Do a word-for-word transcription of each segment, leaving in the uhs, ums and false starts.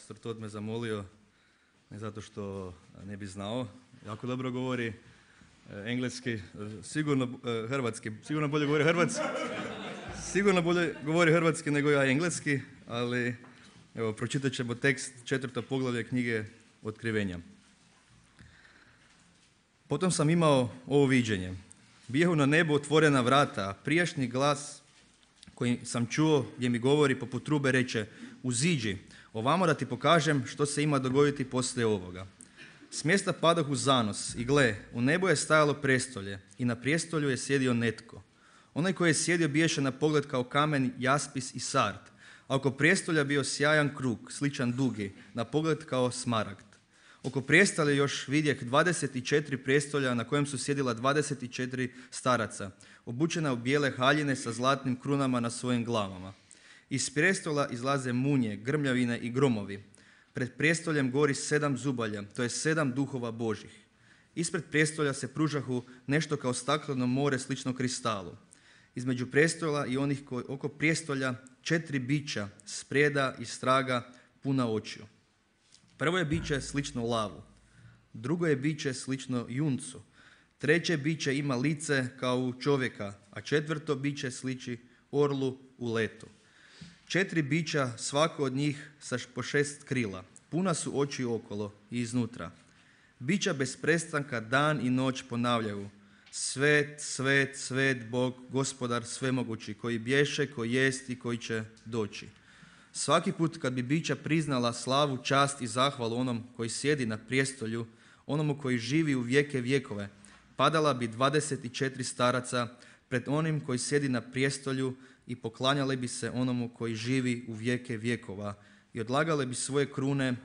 pastor Todd me zamolio, ne zato što ne bi znao, jako dobro govori engleski, sigurno hrvatski, sigurno bolje govori hrvatski, sigurno bolje govori hrvatski nego ja engleski, ali evo, pročitat ćemo tekst četvrto poglavlje knjige Otkrivenja. Potom sam imao ovo viđenje. Bijehu na nebu otvorena vrata, a prijašnji glas koji sam čuo gdje mi govori poput trube reče: uziđi, ovamo da ti pokažem što se ima dogoditi poslije ovoga. S mjesta padoh u zanos i gle, u nebu je stajalo prijestolje i na prijestolju je sjedio netko. Onaj koji je sjedio biješe na pogled kao kamen, jaspis i sard, a oko prijestolja bio sjajan krug, sličan dugi, na pogled kao smaragd. Oko prijestolja još vidjeh dvadeset četiri prijestolja na kojem su sjedila dvadeset četiri staraca, obučena u bijele haljine sa zlatnim krunama na svojim glavama. Iz prijestola izlaze munje, grmljavine i gromovi. Pred prijestoljem gori sedam zubalja, to je sedam duhova Božih. Ispred prijestolja se pružahu nešto kao stakleno more slično kristalu. Između prijestola i onih koji oko prijestolja četiri bića, sprijeda i straga, puna očiju. Prvo je biće slično lavu, drugo je biće slično juncu, treće biće ima lice kao u čovjeka, a četvrto biće sliči orlu u letu. Četiri bića, svako od njih sa po šest krila, puna su oči okolo i iznutra. Bića bez prestanka dan i noć ponavljaju: svet, svet, svet Bog, gospodar svemogući, koji bješe, koji jest i koji će doći. Svaki put kad bi bića priznala slavu, čast i zahvalu onom koji sjedi na prijestolju, onomu koji živi u vijeke vjekove, padala bi dvadeset četiri staraca pred onim koji sjedi na prijestolju i poklanjale bi se onomu koji živi u vijeke vjekova i odlagale bi svoje krune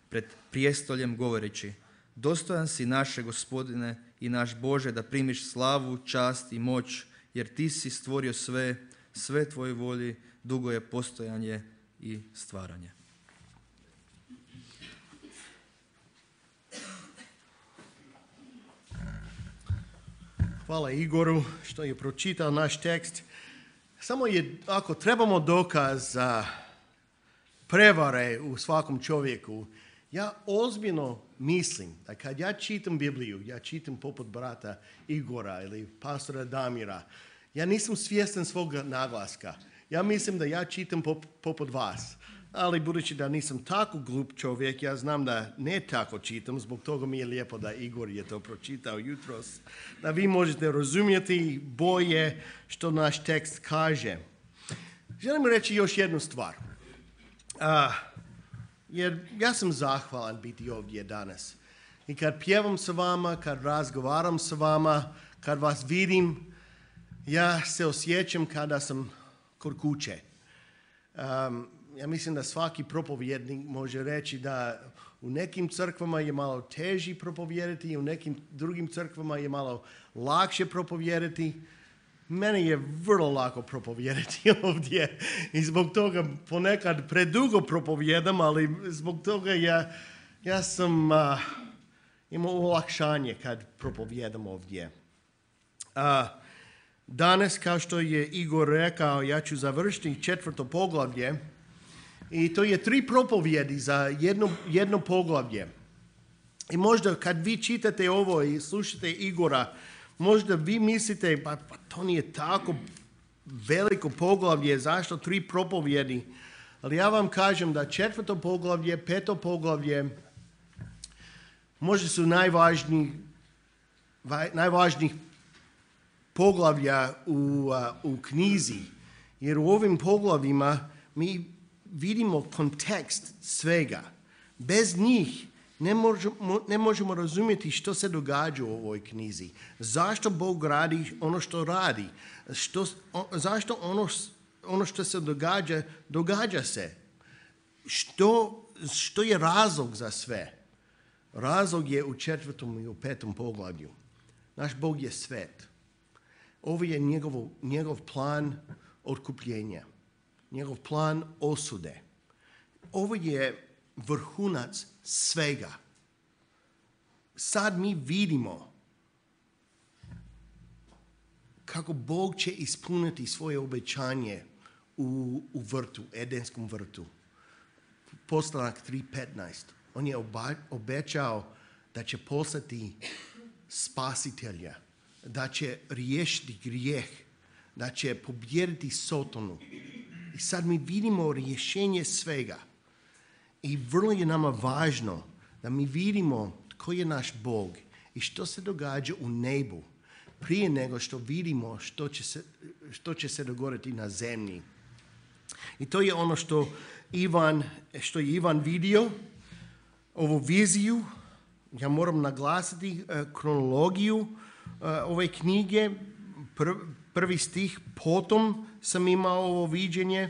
pred prijestoljem govoreći: dostojan si naše Gospodine i naš Bože da primiš slavu, čast i moć, jer ti si stvorio sve, sve tvoje volji, dugo je postojanje i stvaranje. Hvala Igoru što je pročitao naš tekst. Samo je, ako trebamo dokaz za prevare u svakom čovjeku, ja ozbiljno mislim da kad ja čitam Bibliju, ja čitam poput brata Igora ili pastora Damira, ja nisam svjestan svog naglaska. Ja mislim da ja čitam pop, poput vas, ali budući da nisam tako glup čovjek, ja znam da ne tako čitam, zbog toga mi je lijepo da Igor je to pročitao jutros, da vi možete razumjeti bolje što naš tekst kaže. Želim reći još jednu stvar, uh, jer ja sam zahvalan biti ovdje danas. I kad pjevam sa vama, kad razgovaram sa vama, kad vas vidim, ja se osjećam kada sam kod kuće. Um, ja mislim da svaki propovjednik može reći da u nekim crkvama je malo teži propovijedati i u nekim drugim crkvama je malo lakše propovijedati. Meni je vrlo lako propovijedati ovdje i zbog toga ponekad predugo propovijedam, ali zbog toga ja, ja sam uh, imao olakšanje kad propovijedam ovdje. Uh, Danas, kao što je Igor rekao, ja ću završiti četvrto poglavlje i to je tri propovjedi za jedno, jedno poglavlje. I možda kad vi čitate ovo i slušate Igora, možda vi mislite, pa, pa to nije tako veliko poglavlje, zašto tri propovjedi? Ali ja vam kažem da četvrto poglavlje, peto poglavlje, možda su najvažniji, najvažnijih poglavlja u, uh, u knjizi, jer u ovim poglavljima mi vidimo kontekst svega. Bez njih ne možemo, ne možemo razumjeti što se događa u ovoj knjizi. Zašto Bog radi ono što radi? Što, o, zašto ono, ono što se događa, događa se? Što, što je razlog za sve? Razlog je u četvrtom i u petom poglavlju. Naš Bog je svet. Ovo je njegov, njegov plan otkupljenja, njegov plan osude. Ovo je vrhunac svega. Sad mi vidimo kako Bog će ispuniti svoje obećanje u, u vrtu, Edenskom vrtu. Postanak tri petnaest. On je oba, obećao da će poslati spasitelja, da će riješiti grijeh, da će pobijediti Sotonu. I sad mi vidimo rješenje svega. I vrlo je nama važno da mi vidimo tko je naš Bog i što se događa u nebu prije nego što vidimo što će se, što će se dogoditi na zemlji. I to je ono što Ivan, što je Ivan vidio, ovu viziju. Ja moram naglasiti uh, kronologiju uh, ove knjige. Pr- prvi stih, potom sam imao ovo viđenje.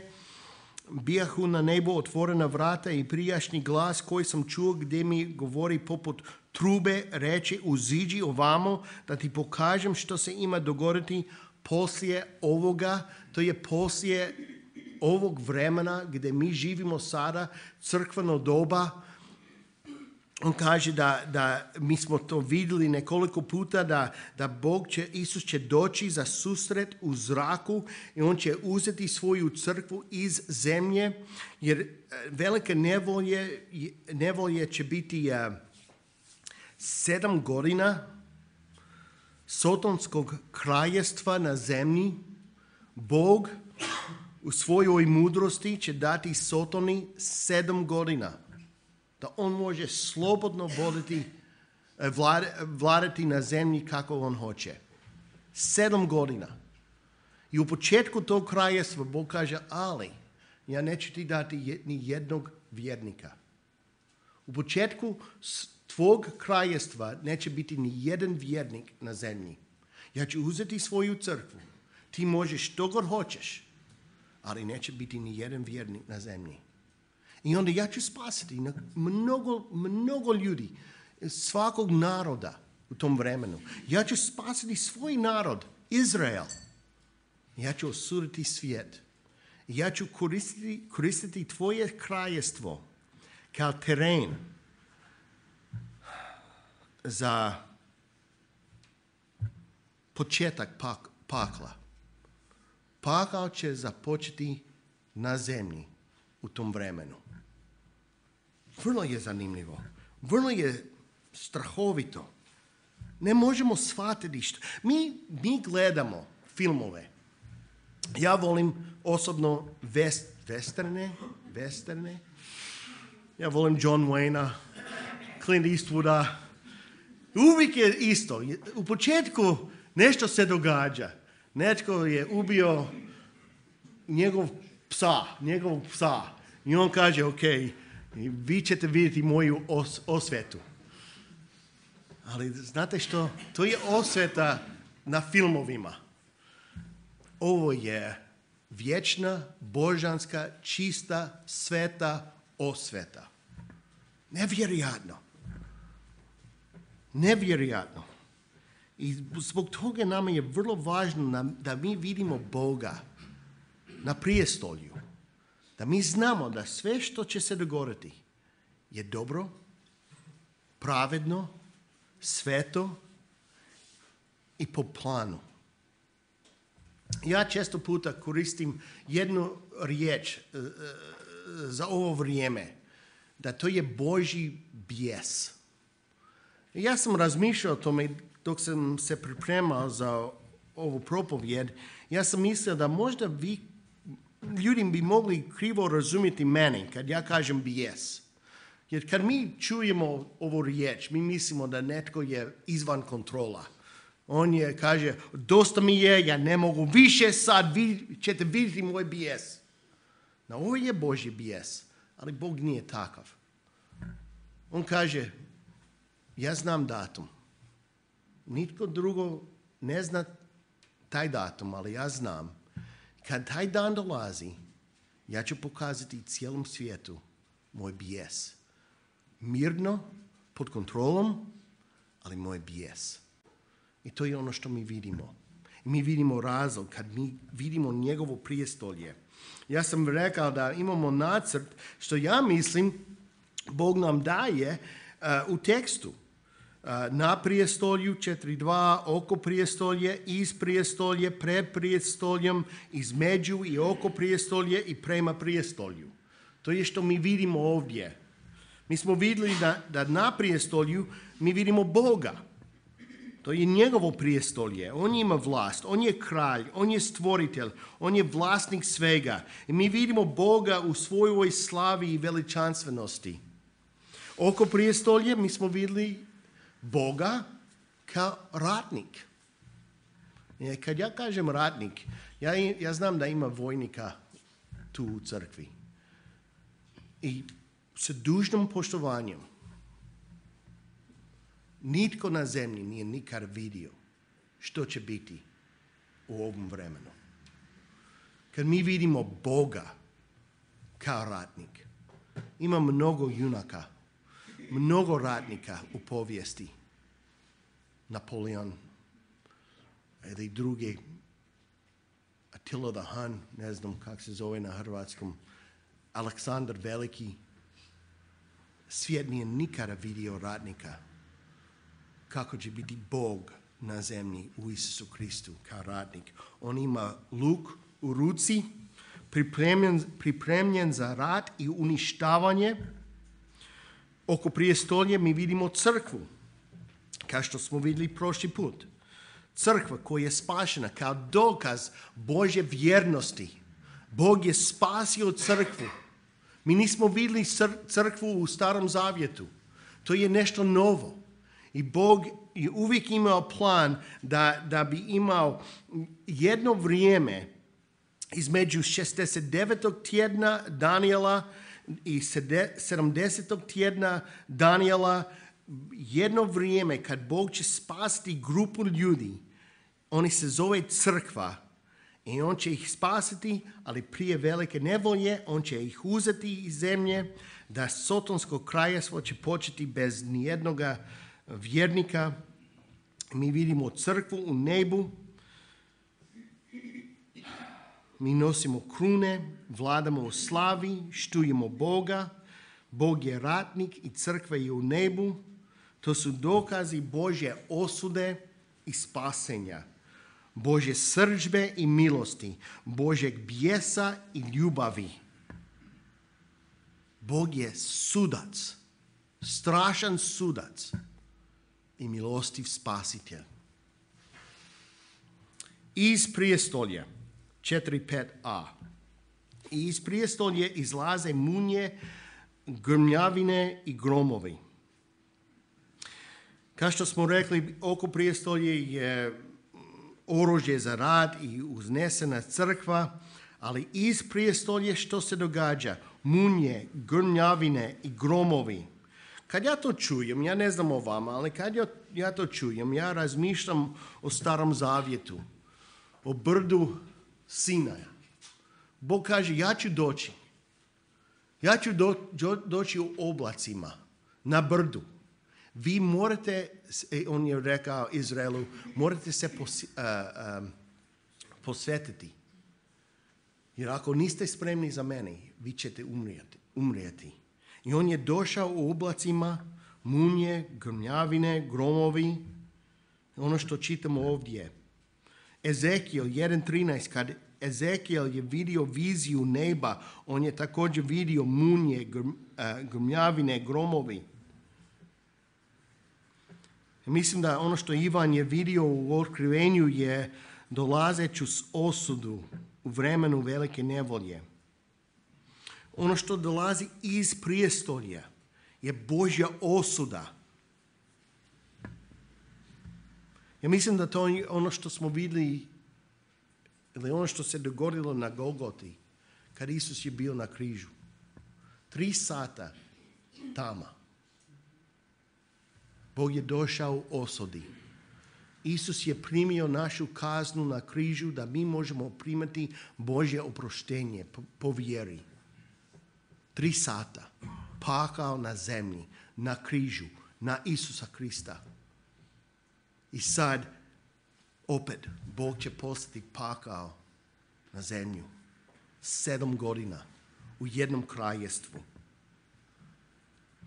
Bijahu na nebu otvorena vrata i prijašnji glas koji sam čuo gdje mi govori poput trube, reče uziđi ovamo da ti pokažem što se ima dogoditi poslije ovoga. To je poslije ovog vremena gdje mi živimo sada, crkveno doba. On kaže da, da mi smo to vidjeli nekoliko puta, da, da Bog će, Isus će doći za susret u zraku i on će uzeti svoju crkvu iz zemlje, jer velike nevolje, nevolje će biti uh, sedam godina sotonskog kraljestva na zemlji. Bog u svojoj mudrosti će dati Sotoni sedam godina. Da on može slobodno voditi, vladati na zemlji kako on hoće. Sedam godina. I u početku tog kraljestva Bog kaže, ali ja neću ti dati ni jednog vjernika. U početku tvog kraljestva neće biti ni jedan vjernik na zemlji. Ja ću uzeti svoju crkvu. Ti možeš što god hoćeš, ali neće biti ni jedan vjernik na zemlji. I onda ja ću spasiti mnogo, mnogo ljudi, svakog naroda u tom vremenu. Ja ću spasiti svoj narod, Izrael. Ja ću osuditi svijet. Ja ću koristiti, koristiti tvoje kraljestvo kao teren za početak pak, pakla. Pakao će započeti na zemlji u tom vremenu. Vrlo je zanimljivo. Vrlo je strahovito. Ne možemo shvatiti što. Mi, mi gledamo filmove. Ja volim osobno vest, westerne, westerne. Ja volim John Wayna, Clint Eastwooda. Uvijek je isto. U početku nešto se događa. Netko je ubio njegov psa, njegovog psa. I on kaže, ok, vi ćete vidjeti moju os, osvetu. Ali znate što? To je osveta na filmovima. Ovo je vječna, božanska, čista, sveta osveta. Nevjerojatno. Nevjerojatno. I zbog toga nama je vrlo važno da mi vidimo Boga na prijestolju. Da mi znamo da sve što će se dogoditi je dobro, pravedno, sveto i po planu. Ja često puta koristim jednu riječ uh, za ovo vrijeme, da to je Božji bijes. Ja sam razmišljao o tome dok sam se pripremao za ovu propovjed. Ja sam mislio da možda vi, ljudi bi mogli krivo razumjeti meni kad ja kažem bijes. Jer kad mi čujemo ovu riječ, mi mislimo da netko je izvan kontrola. On je, kaže, dosta mi je, ja ne mogu više, sad vi ćete vidjeti moj bijes. No, ovo je Božji bijes, ali Bog nije takav. On kaže, ja znam datum. Nitko drugo ne zna taj datum, ali ja znam. Kad taj dan dolazi, ja ću pokazati cijelom svijetu moj bijes. Mirno, pod kontrolom, ali moj bijes. I to je ono što mi vidimo. Mi vidimo razlog kad mi vidimo njegovo prijestolje. Ja sam rekao da imamo nacrt što ja mislim Bog nam daje uh, u tekstu. Uh, na prijestolju četiri dva, oko prijestolje, iz prijestolje, pred prijestoljem, između i oko prijestolje i prema prijestolju. To je što mi vidimo ovdje. Mi smo vidjeli da, da na prijestolju mi vidimo Boga. To je njegovo prijestolje. On ima vlast, on je kralj, on je stvoritelj, on je vlasnik svega. I mi vidimo Boga u svojoj slavi i veličanstvenosti. Oko prijestolje mi smo vidjeli Boga kao ratnik. I kad ja kažem ratnik, ja, ja znam da ima vojnika tu u crkvi. I sa dužnom poštovanjem, nitko na zemlji nije nikad vidio što će biti u ovom vremenu. Kad mi vidimo Boga kao ratnik, ima mnogo junaka, mnogo ratnika u povijesti. Napoleon ili drugi, Attila the Hun, ne znam kako se zove na hrvatskom, Aleksandar Veliki. Svijet nije nikada vidio ratnika kako će biti Bog na zemlji u Isusu Kristu kao ratnik. On ima luk u ruci, pripremljen, pripremljen za rat i uništavanje. Oko prijestolja mi vidimo crkvu, kao što smo vidjeli prošli put. Crkva koja je spašena kao dokaz Božje vjernosti. Bog je spasio crkvu. Mi nismo vidjeli crkvu u Starom Zavjetu. To je nešto novo. I Bog je uvijek imao plan da, da bi imao jedno vrijeme između šezdeset devetog tjedna Danijela i sedamdesetog tjedna Danijela, jedno vrijeme kad Bog će spasiti grupu ljudi. Oni se zove crkva i on će ih spasiti, ali prije velike nevolje on će ih uzeti iz zemlje, da sotonsko kraljevstvo će početi bez nijednoga vjernika. Mi vidimo crkvu u nebu. Mi nosimo krune, vladamo u slavi, štujemo Boga. Bog je ratnik i crkva je u nebu. To su dokazi Božje osude i spasenja, Božje srdžbe i milosti, Božjeg bijesa i ljubavi. Bog je sudac, strašan sudac i milostiv spasitelj. Iz prijestolja četiri pet a. Iz prijestolja izlaze munje, grmljavine i gromovi. Kao što smo rekli, oko prijestolje je oružje za rad i uznesena crkva, ali iz prijestolja što se događa? Munje, grmljavine i gromovi. Kad ja to čujem, ja ne znam o vama, ali kad ja, ja to čujem, ja razmišljam o Starom Zavjetu, o brdu Sinaja. Bog kaže, ja ću doći. Ja ću do, do, doći u oblacima, na brdu. Vi morate, on je rekao Izraelu, morate se pos, uh, um, posvetiti. Jer ako niste spremni za mene, vi ćete umrijeti. umrijeti. I on je došao u oblacima, munje, grmljavine, gromovi. Ono što čitamo ovdje. Ezekijel jedan trinaest, kad Ezekijel je vidio viziju neba, on je također vidio munje, grm, uh, grmljavine, gromovi. Mislim da ono što Ivan je vidio u otkrivenju je dolazeću osudu u vremenu velike nevolje. Ono što dolazi iz prijestolja je Božja osuda. Ja mislim da to je ono što smo vidjeli, ili ono što se dogodilo na Golgoti, kad Isus je bio na križu. Tri sata tamo. Bog je došao u osudi. Isus je primio našu kaznu na križu da mi možemo primati Božje oproštenje po, po vjeri. Tri sata. Pakao na zemlji, na križu, na Isusa Krista. I sad, opet, Bog će poslati pakao na zemlju. Sedam godina u jednom kraljevstvu.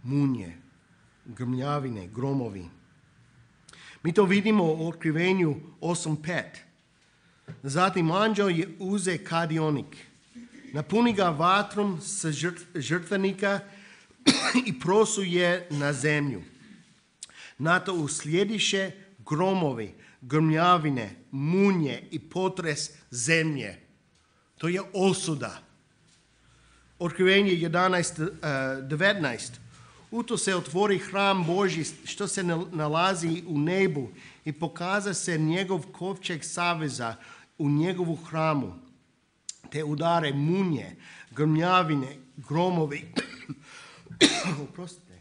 Munje, grmljavine, gromovi. Mi to vidimo u otkrivenju osam pet. Zatim anđeo je uze kadionik napuni ga vatrom sa žrtvenika i prosuje na zemlju. Na to uslijediše gromovi, grmljavine, munje i potres zemlje. To je osuda. Otkrivenje jedanaest devetnaest. U to se otvori hram Božji što se nalazi u nebu i pokaza se njegov kovčeg saveza u njegovu hramu. Te udare munje, grmljavine, gromovi. Oprostite.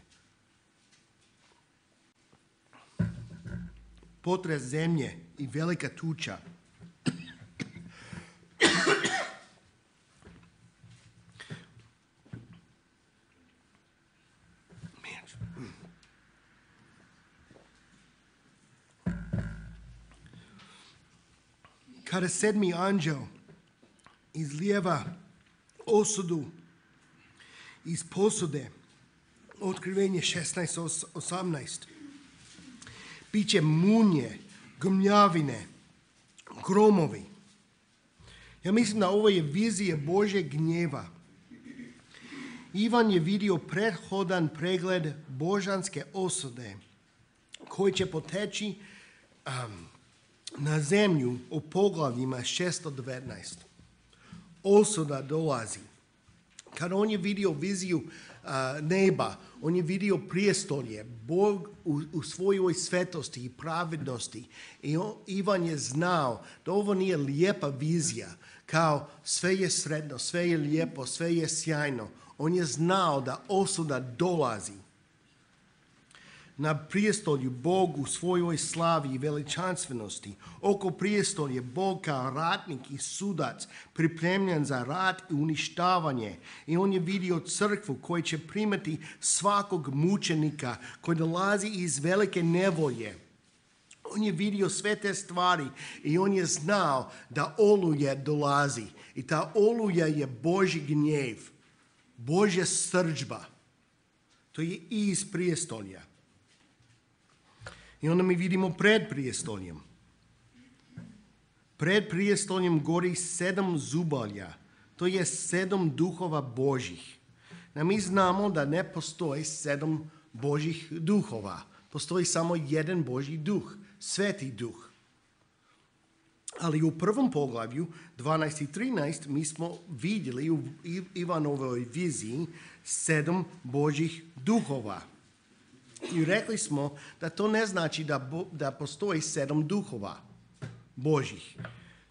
Potres zemlje i velika tuča. Kada sedmi anđel izlijeva osudu iz posude, otkrivenje šesnaest osamnaest, biće munje, grmljavine, gromovi. Ja mislim da ovo je vizija Božjeg gnjeva. Ivan je vidio prethodan pregled božanske osude koji će poteći um, na zemlju u poglavljima šesto devetnaest. Osuda dolazi. Kada on je vidio viziju uh, neba, on je vidio prijestolje, Bog u, u svojoj svetosti i pravednosti. I on, Ivan je znao da ovo nije lijepa vizija, kao sve je sretno, sve je lijepo, sve je sjajno. On je znao da osuda dolazi. Na prijestolju Bog u svojoj slavi i veličanstvenosti. Oko prijestolje Bog kao ratnik i sudac pripremljen za rat i uništavanje. I on je vidio crkvu koja će primati svakog mučenika koji dolazi iz velike nevolje. On je vidio sve te stvari i on je znao da oluja dolazi. I ta oluja je Božji gnjev, Božja srdžba. To je iz prijestolja. I onda mi vidimo pred prijestoljem. Pred prijestoljem gori sedam zubalja. To je sedam duhova Božjih. A mi znamo da ne postoji sedam Božjih duhova. Postoji samo jedan Božji duh, Sveti duh. Ali u prvom poglavlju, dvanaest i trinaest, mi smo vidjeli u Ivanovoj viziji sedam Božjih duhova. I rekli smo da to ne znači da, bo, da postoji sedam duhova Božjih.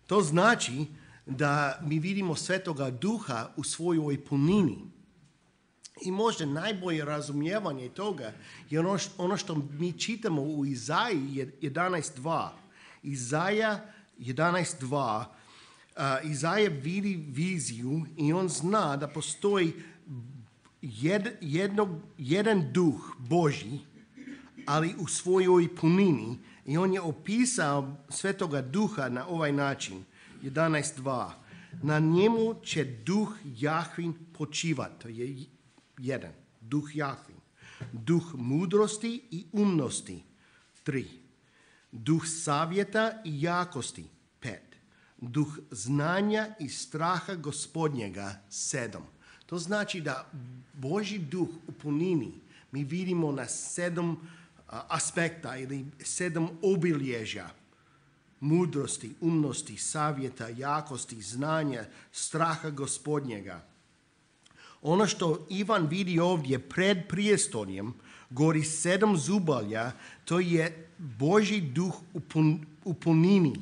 To znači da mi vidimo Svetoga Duha u svojoj punini. I možda najbolje razumijevanje toga je ono, ono što mi čitamo u Izaji jedanaest dva. Izaja jedanaest dva. Uh, Izaja vidi viziju i on zna da postoji Jed, jednog, jedan duh Božji, ali u svojoj punini. I on je opisao Svetoga Duha na ovaj način. jedanaest dva. Na njemu će duh Jahvin počivati. To je jedan. Duh Jahvin. Duh mudrosti i umnosti. Tri. Duh savjeta i jakosti. Pet. Duh znanja i straha Gospodnjega. Sedam. To znači da Božji duh u punini mi vidimo na sedam aspekta ili sedam obilježja. Mudrosti, umnosti, savjeta, jakosti, znanja, straha Gospodnjega. Ono što Ivan vidi ovdje pred prijestoljem, gori sedam zubalja, to je Božji duh u, pun, u punini.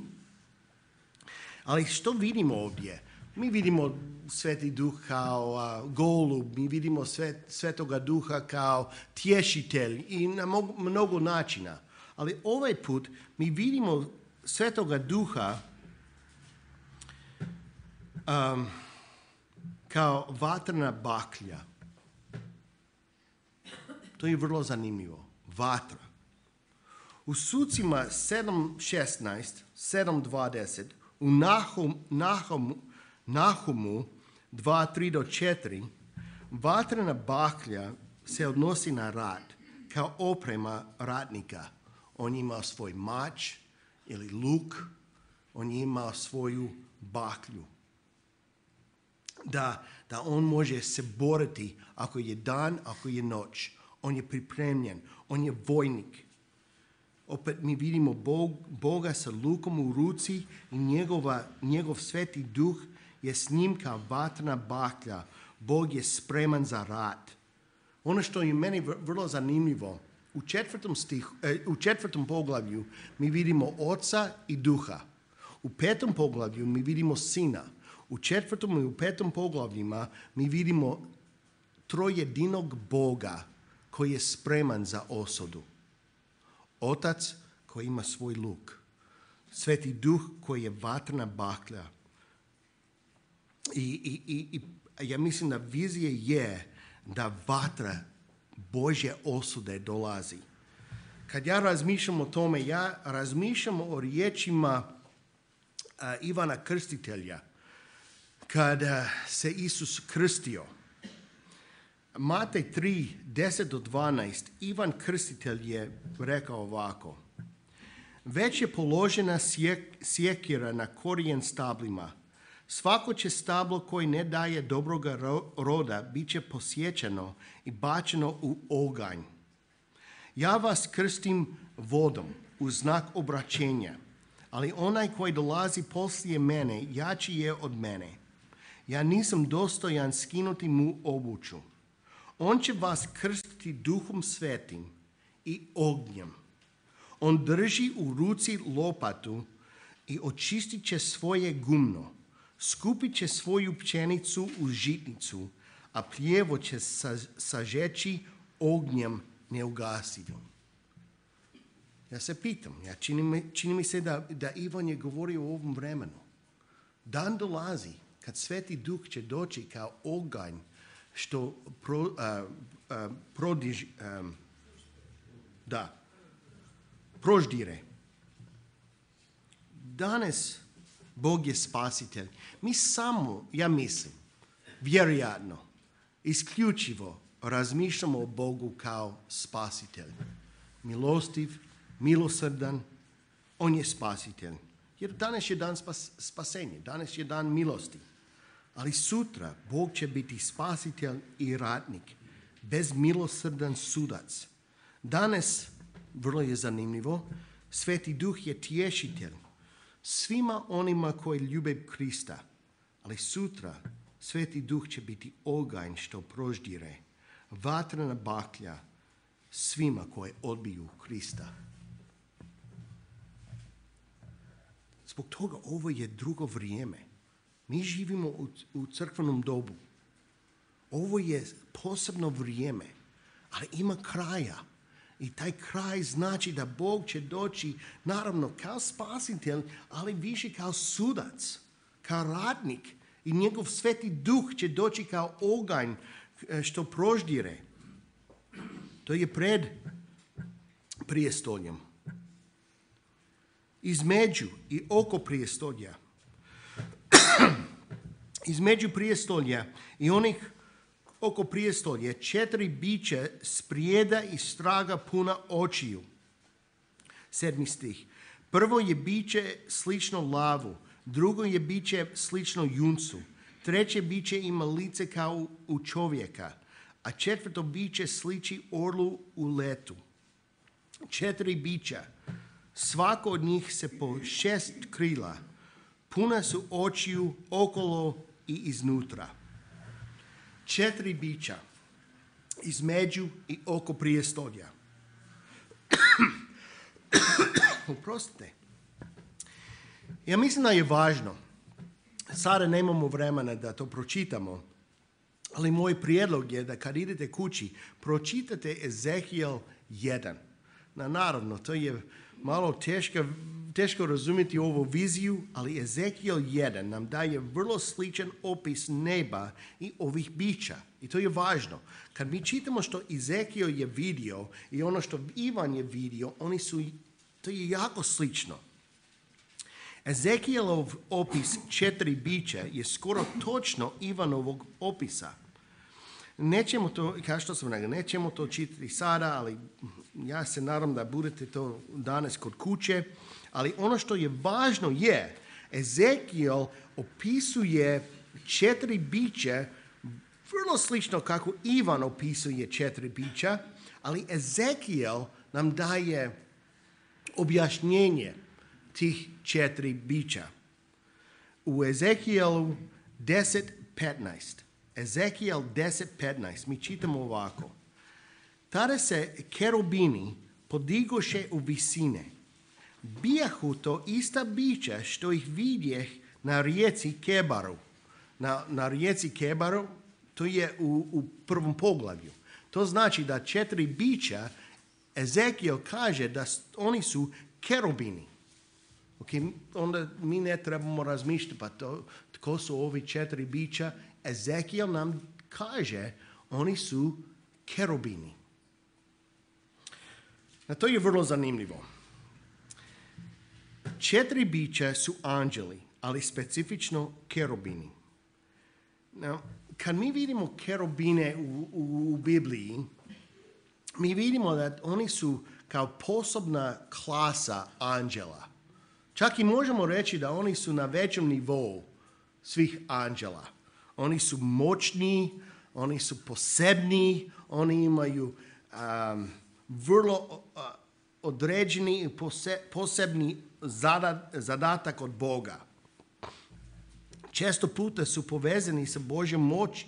Ali što vidimo ovdje? Mi vidimo Sveti Duh kao uh, golub, mi vidimo sve, Svetoga Duha kao tješitelj i na mnogo, mnogo načina. Ali ovaj put mi vidimo Svetoga Duha um, kao vatrena baklja. To je vrlo zanimljivo. Vatra. U Sucima sedam šesnaest, sedam dvadeset, u Nahum, Nahumu, Nahumu dva tri do četiri, vatrena baklja se odnosi na rat kao oprema ratnika. On ima svoj mač ili luk, on ima svoju baklju. da, da on može se boriti ako je dan, ako je noć. On je pripremljen, on je vojnik. Opet mi vidimo Bog, Boga sa lukom u ruci i njegova, njegov sveti duh je s njim kao vatrena baklja. Bog je spreman za rat. Ono što je meni vrlo zanimljivo, u četvrtom, stih, u četvrtom poglavlju mi vidimo Oca i Duha. U petom poglavlju mi vidimo Sina. U četvrtom i u petom poglavljima mi vidimo trojedinog Boga koji je spreman za osudu. Otac koji ima svoj luk. Sveti Duh koji je vatrena baklja. I, i, i, i ja mislim da vizija je da vatra Božje osude dolazi. Kad ja razmišljam o tome, ja razmišljam o riječima uh, Ivana Krstitelja kada se Isus krstio. Matej tri, deset do dvanaest, Ivan Krstitelj je rekao ovako. Već je položena sjek, sjekira na korijen stablima. Svako će stablo koji ne daje dobroga roda bit će posjećeno i bačeno u oganj. Ja vas krstim vodom u znak obraćenja, ali onaj koji dolazi poslije mene jači je od mene. Ja nisam dostojan skinuti mu obuću. On će vas krstiti Duhom Svetim i ognjem. On drži u ruci lopatu i očistit će svoje gumno. Skupit će svoju pšenicu u žitnicu, a pljevo će sažeći ognjem neugasivim. Ja se pitam, ja čini, mi, čini mi se da, da Ivan je govorio o ovom vremenu. Dan dolazi kad Sveti Duh će doći kao oganj što pro, uh, uh, prodiž, um, da, proždire. Danas Bog je spasitelj. Mi samo, ja mislim, vjerojatno, isključivo razmišljamo o Bogu kao spasitelj. Milostiv, milosrdan, on je spasitelj. Jer danas je dan spas, spasenja, danas je dan milosti. Ali sutra Bog će biti spasitelj i ratnik, bezmilosrdan sudac. Danas, vrlo je zanimljivo, Sveti Duh je tješitelj svima onima koji ljube Krista. Ali sutra Sveti Duh će biti oganj što proždire, vatrena baklja svima koji odbiju Krista. Zbog toga ovo je drugo vrijeme. Mi živimo u, u crkvenom dobu. Ovo je posebno vrijeme, ali ima kraja. I taj kraj znači da Bog će doći, naravno, kao spasitelj, ali više kao sudac, kao ratnik. I njegov Sveti Duh će doći kao oganj što proždire. To je pred prijestoljem. Između i oko prijestolja. Između prijestolja i onih oko prijestolja četiri bića sprijeda i straga puna očiju. Sedmi stih. Prvo je biće slično lavu, drugo je biće slično juncu, treće biće ima lice kao u čovjeka, a četvrto biće sliči orlu u letu. Četiri bića, svako od njih se po šest krila, puna su očiju okolo i iznutra. Četiri bića između i oko prijestolja. Oprostite. Ja mislim da je važno, sada nemamo vremena da to pročitamo, ali moj prijedlog je da kad idete kući, pročitate Ezekijel jedan. Na, naravno, to je malo teško, teško razumjeti ovu viziju, ali Ezekijel jedan nam daje vrlo sličan opis neba i ovih bića. I to je važno. Kad mi čitamo što Ezekijel je vidio i ono što Ivan je vidio, oni su, to je jako slično. Ezekijelov opis četiri bića je skoro točno Ivanovog opisa. Nećemo to, kao što sam rekao, nećemo to čitati sada, ali ja se nadam da budete to danas kod kuće. Ali ono što je važno je, Ezekijel opisuje četiri bića, vrlo slično kako Ivan opisuje četiri bića, ali Ezekijel nam daje objašnjenje tih četiri bića. U Ezekijelu deset petnaest. Ezekijel deset petnaest. Mi čitamo ovako. Tada se kerubini podigoše u visine. Bijahu to ista bića što ih vidjeh na rijeci Kebaru. Na, na rijeci Kebaru, to je u, u prvom poglavlju. To znači da četiri bića, Ezekijel kaže da oni su kerubini. Okay, onda mi ne trebamo razmišljati, pa to, tko su ovi četiri bića. Ezekijel nam kaže, oni su kerubini. A to je vrlo zanimljivo. Četiri bića su anđeli, ali specifično kerubini. Now, kad mi vidimo kerubine u, u, u Bibliji, mi vidimo da oni su kao posebna klasa anđela. Čak i možemo reći da oni su na većem nivou svih anđela. Oni su moćni, oni su posebni, oni imaju um, vrlo uh, određeni i pose, posebni zadat, zadatak od Boga. Često puta su povezani sa Božjom moći.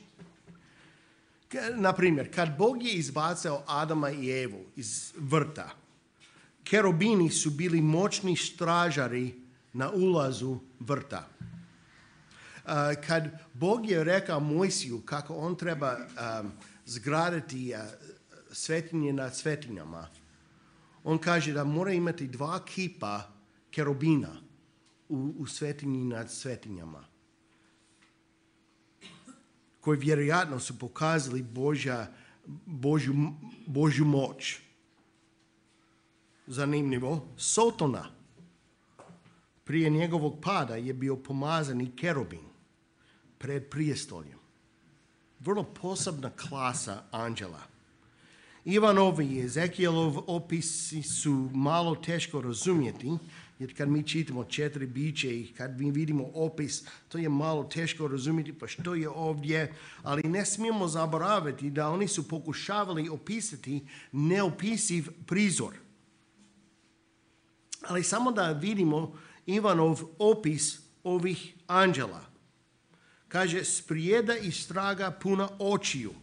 Naprimjer, kad Bog je izbacao Adama i Evu iz vrta, kerubini su bili moćni stražari na ulazu vrta. Uh, kad Bog je rekao Mojsiju kako on treba um, zgraditi uh, svetinje nad svetinjama, on kaže da mora imati dva kipa kerubina u, u svetinji nad svetinjama, koji vjerojatno su pokazali Božja, Božju, Božju moć. Zanimljivo, Sotona prije njegovog pada je bio pomazani kerubin pred prijestoljem. Vrlo posebna klasa anđela. Ivanovi i Ezekielov opisi su malo teško razumjeti, jer kad mi čitamo četiri biće i kad mi vidimo opis, to je malo teško razumjeti pa što je ovdje, ali ne smijemo zaboraviti da oni su pokušavali opisati neopisiv prizor. Ali samo da vidimo Ivanov opis ovih anđela. Kaže, sprijeda i straga puna očiju.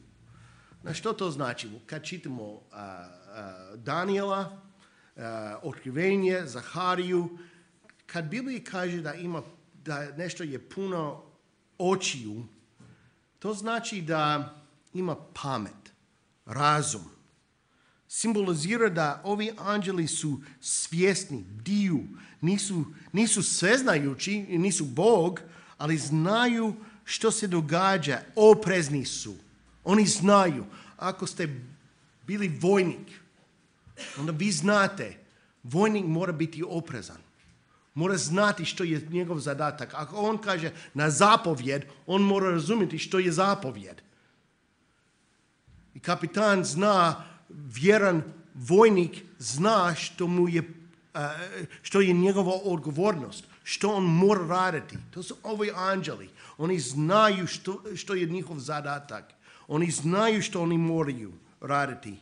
Na što to znači? Kad čitamo uh, uh, Daniela, uh, Otkrivenje, Zahariju, kad Biblija kaže da ima da nešto je puno očiju, to znači da ima pamet, razum. Simbolizira da ovi anđeli su svjesni, bdiju, nisu, nisu sveznajući, nisu Bog, ali znaju što se događa, oprezni su. Oni znaju. Ako ste bili vojnik, onda vi znate, vojnik mora biti oprezan. Mora znati što je njegov zadatak. Ako on kaže na zapovjed, on mora razumjeti što je zapovjed. I kapitan zna, vjeran vojnik zna što mu je, što je njegova odgovornost, što on mora raditi. To su ovi anđeli. Oni znaju što, što je njihov zadatak. Oni znaju što oni moraju raditi.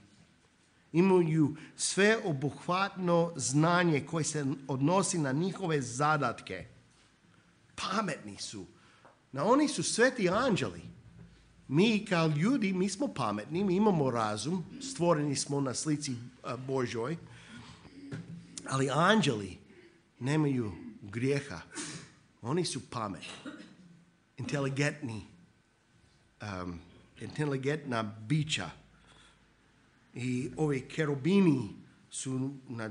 Imaju sve obuhvatno znanje koje se odnosi na njihove zadatke. Pametni su. Na oni su sveti anđeli. Mi kao ljudi, mi smo pametni, mi imamo razum, stvoreni smo na slici Božoj, ali anđeli nemaju grijeha. Oni su pametni, inteligentni, um, inteligentna bića. I ovi kerubini su, na,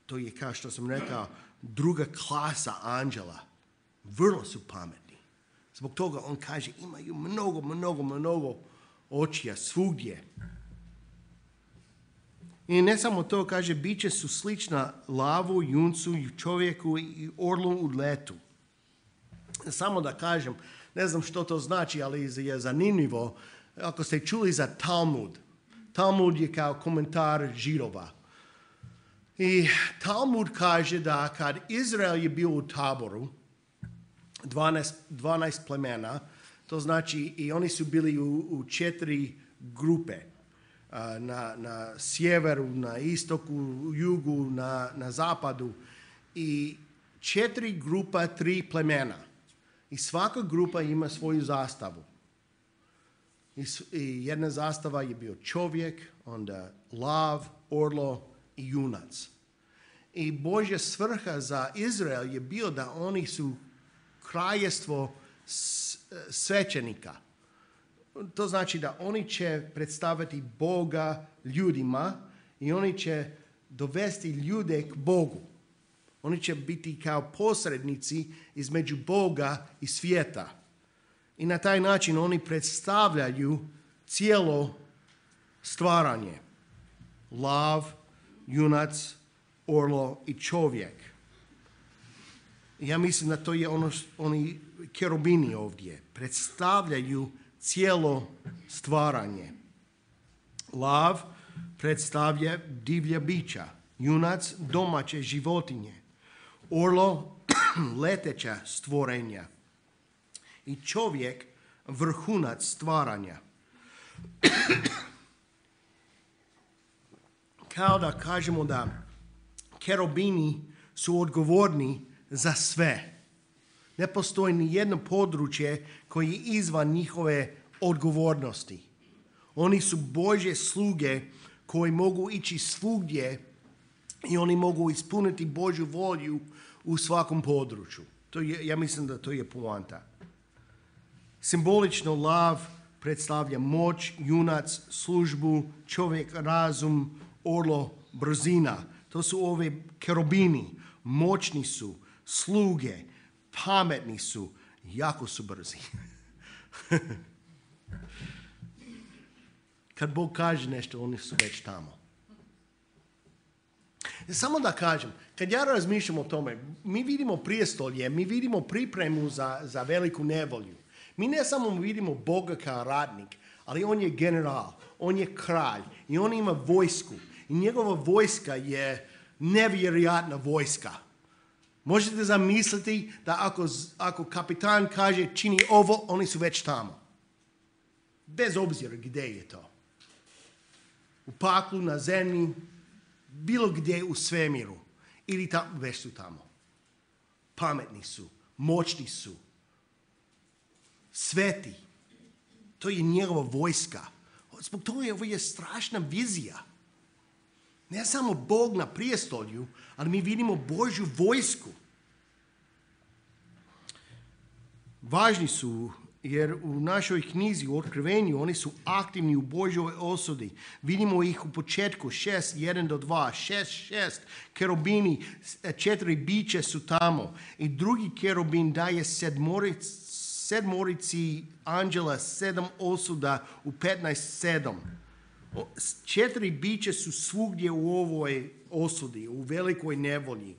to je kao što sam rekao, druga klasa anđela. Vrlo su pametni. Zbog toga on kaže imaju mnogo, mnogo, mnogo očija svugdje. I ne samo to, kaže, biće su slična lavu, juncu, čovjeku i orlu u letu. Samo da kažem, ne znam što to znači, ali je zanimljivo. Ako ste čuli za Talmud, Talmud je kao komentar Židova. I Talmud kaže da kad Izrael je bio u taboru, dvanaest plemena, to znači i oni su bili u, u četiri grupe. Na, na sjeveru, na istoku, u jugu, na, na zapadu. I četiri grupa, tri plemena. I svaka grupa ima svoju zastavu. I, i jedna zastava je bio čovjek, onda lav, orlo i junac. I Božja svrha za Izrael je bio da oni su kraljestvo svećenika. To znači da oni će predstaviti Boga ljudima i oni će dovesti ljude k Bogu. Oni će biti kao posrednici između Boga i svijeta. I na taj način oni predstavljaju cijelo stvaranje. Lav, junac, orlo i čovjek. Ja mislim da to je ono, oni kerubini ovdje. Predstavljaju cijelo stvaranje. Lav predstavlja divlja bića, junac domaće životinje, orlo leteća stvorenja i čovjek vrhunac stvaranja. Kao da kažemo da kerubini su odgovorni za sve. Ne postoji ni jedno područje koje je izvan njihove odgovornosti. Oni su Božje sluge koji mogu ići svugdje i oni mogu ispuniti Božju volju u svakom području. To je, ja mislim da to je poanta. Simbolično lav predstavlja moć, junac, službu, čovjek, razum, orlo, brzina. To su ove kerubini. Moćni su, sluge, pametni su, jako su brzi. Kad Bog kaže nešto, oni su već tamo. Samo da kažem, kad ja razmišljam o tome, mi vidimo prijestolje, mi vidimo pripremu za, za veliku nevolju. Mi ne samo vidimo Boga kao radnik, ali on je general, on je kralj i on ima vojsku. I njegova vojska je nevjerojatna vojska. Možete zamisliti da ako, ako kapitan kaže čini ovo, oni su već tamo. Bez obzira gdje je to. U paklu, na zemlji, bilo gdje u svemiru. Ili tamo, već su tamo. Pametni su, moćni su, sveti. To je njegova vojska. Zbog toga je ovo je strašna vizija. Ne samo Bog na prijestolju, ali mi vidimo Božju vojsku. Važni su, jer u našoj knjizi u Otkrivenju oni su aktivni u Božjoj osudi. Vidimo ih u početku, šest, jedan do dva, šest, šest, kerubini, četiri biće su tamo. I drugi kerubin daje sedmoric, sedmorici anđela, sedam osuda u petnaest sedam. Četiri biće su svugdje u ovoj osudi, u velikoj nevolji.